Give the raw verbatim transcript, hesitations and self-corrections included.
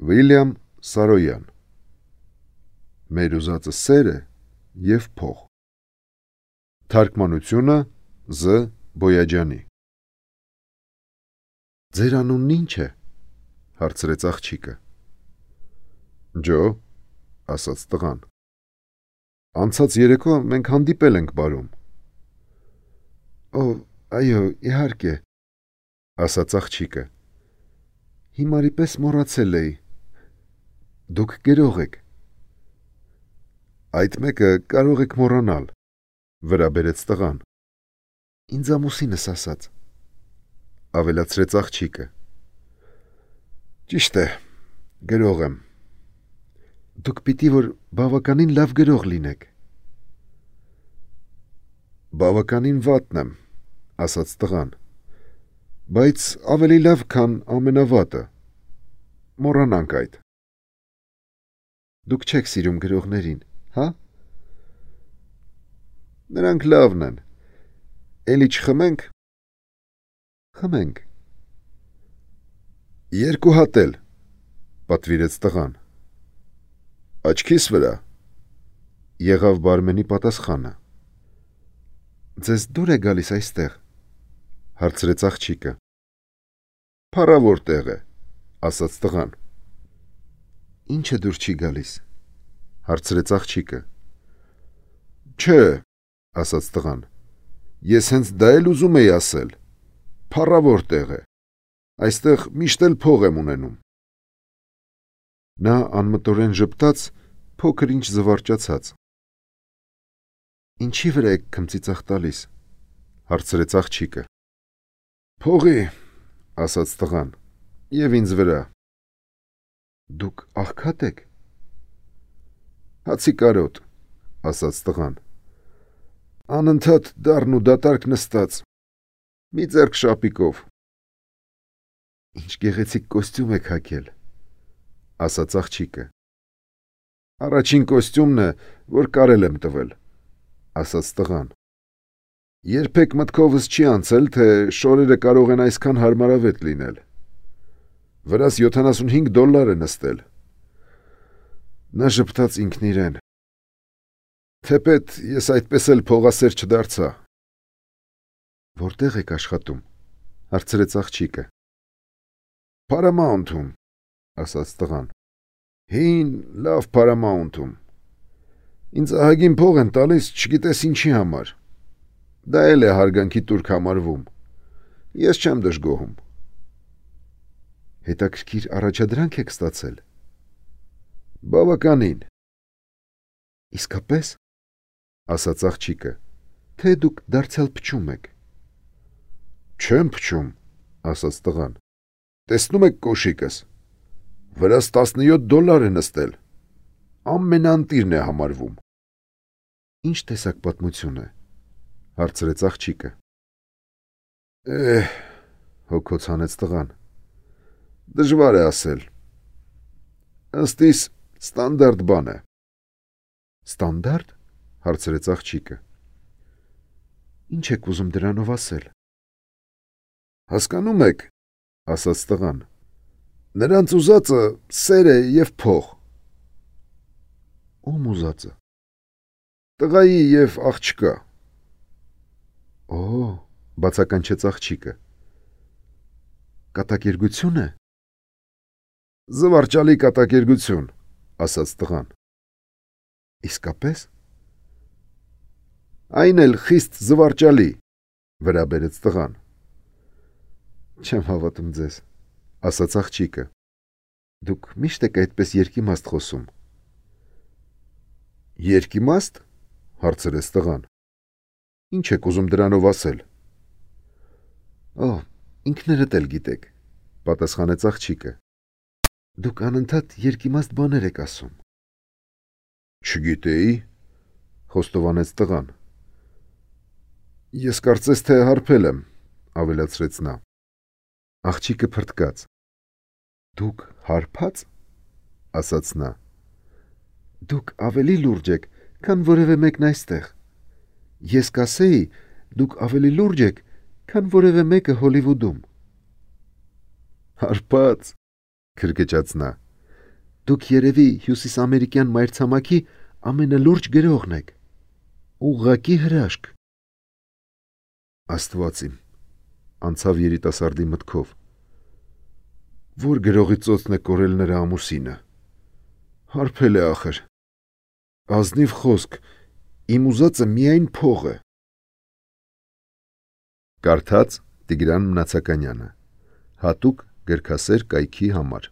Վիլյամ Սարոյան Մեր ուզածը սերը և փող Թարգմանությունը Զ. Բոյաջյանի Ձեր անունն ինչ է, հարցրեց աղջիկը։ Ջո, ասաց տղան։ Անցած երեկո մենք հանդիպել ենք բարում։ Օ, այո, իհարկե, ասաց աղջիկը։ Հիմարի պես մոռացել էի։ Դուք գրող եք։ Այդ մեկը կարող եք մոռանալ, վրա բերեց տղան։ Ինձ ամուսինս ասաց, ավելացրեց աղջիկը։ Ճիշտ է, գրող եմ։ Դուք պիտի որ բավականին լավ գրող լինեք։ Բավականին վատն եմ, ասաց տղան, բայց ավելի լավ, քան ամենավատը։ Մոռանանք այդ։ Դուք չեք սիրում գրողներին, հա? Նրանք լավն են։ Էլի չխմենք։ Խմենք։ Երկու հատ էլ, պատվիրեց տղան։ Աչքիս վրա, եղավ բարմենի պատասխանը։ Ձեզ դուր է գալիս այստեղ, հարցրեց աղջիկը։ Փառավոր տեղ է, ասաց տղան։ Ինչը դուր չի գալիս, հարցրեց աղջիկը։ Չէ, ասաց տղան, ես հենց դա էլ ուզում էի ասել, փառավոր տեղ է, այստեղ միշտ էլ փող եմ ունենում։ Նա անմտորեն ժպտաց, փոքր ինչ զվարճացած։ Ինչի վրա եք քմծիծաղ տալիս, հարցրեց աղջիկը։ Փողի, ասաց տղան, և ինձ վրա։ Դուք աղքատ եք։ Հացի կարոտ, ասաց տղան։ Անընդհատ դառն ու դատարկ նստած, մի ձեռք շապիկով։ Ինչ գեղեցիկ կոստյում եք հագել, ասաց աղջիկը։ Առաջին կոստյումն է, որ կարել եմ տվել, ասաց տղան։ Երբեք մտքովս չի անցել, թե շորերը կարող են այսքան հարմարավետ լինել։ Վրաս յոթանասունհինգ դոլար է նստել։ Նա ժպտաց ինքն իրեն։ Թեպետ ես այդպես էլ փողասեր չդարձա։ Որտեղ եք աշխատում, հարցրեց աղջիկը։ Paramount-ում, ասաց տղան։ Հին, լավ Paramount-ում։ Ինձ ահագին փող են տալիս, չգիտես ինչի համար։ Դա էլ է հարգանքի տուրք համարվում։ Ես չեմ դժգոհում։ Հետաքրքիր առաջադրանք եք ստացել։ Բավականին։ Իսկապես, ասաց աղջիկը, թե դուք դարձյալ փչում եք։ Չեմ փչում, ասաց տղան։ Տեսնում եք կոշիկս։ Վրաս տասնյոթ դոլար է նստել։ Ամենաընտիրն է համարվում։ Ինչ տեսակ պատմություն է, հարցրեց աղջիկը։ Էհ, հոգոց հանեց տղան։ Դժվար է ասել։ Ըստ իս ստանդարտ բան է։ Ստանդարտ, հարցրեց աղջիկը։ Ինչ եք ուզում դրանով ասել։ Հասկանում եք, ասաց տղան։ Նրանց ուզածը սեր է և փող։ Ում ուզածը։ Տղայի և աղջկա։ Օ, բացականչեց աղջիկը։ Կատակերգություն է։ Զվարճալի կատակերգություն, ասաց տղան։ Իսկապես։ Այն էլ խիստ զվարճալի, վրա բերեց տղան։ Չեմ հավատում ձեզ, ասաց աղջիկը։ Դուք միշտ եք այդպես երկիմաստ խոսում։ Երկիմաստ, հարցրեց տղան։ Ինչ եք ուզում դրանով ասել։ Օ, ինքներդ էլ գիտեք, պատասխանեց աղջիկը։ Դուք անընդհատ երկիմաստ բաներ եք ասում։ Չգիտեի, խոստովանեց տղան։ Ես կարծես թե հարբել եմ, ավելացրեց նա։ Աղջիկը փրտկաց։ Դուք հարբած, ասաց նա։ Դուք ավելի լուրջ եք, քան որևէ մեկն այստեղ։ Ես կասեի, դուք ավելի լուրջ եք, քան որևէ մեկը Հոլիվուդում։ Հարբած, քրկճաց նա։ Դուք երևի հյուսիսամերիկյան մայրցամաքի ամենալուրջ գրողն եք։ Ուղղակի հրաշք։ Աստված իմ, անցավ երիտասարդի մտքով։ Որ գրողի ծոցն է կորել նրա ամուսինը։ Հարբել է ախր։ Ազնիվ խոսք, իմ ուզածը միայն փող է։ Կարդաց Տիգրան Մնացականյանը, հատուկ գրքասեր կայքի համար։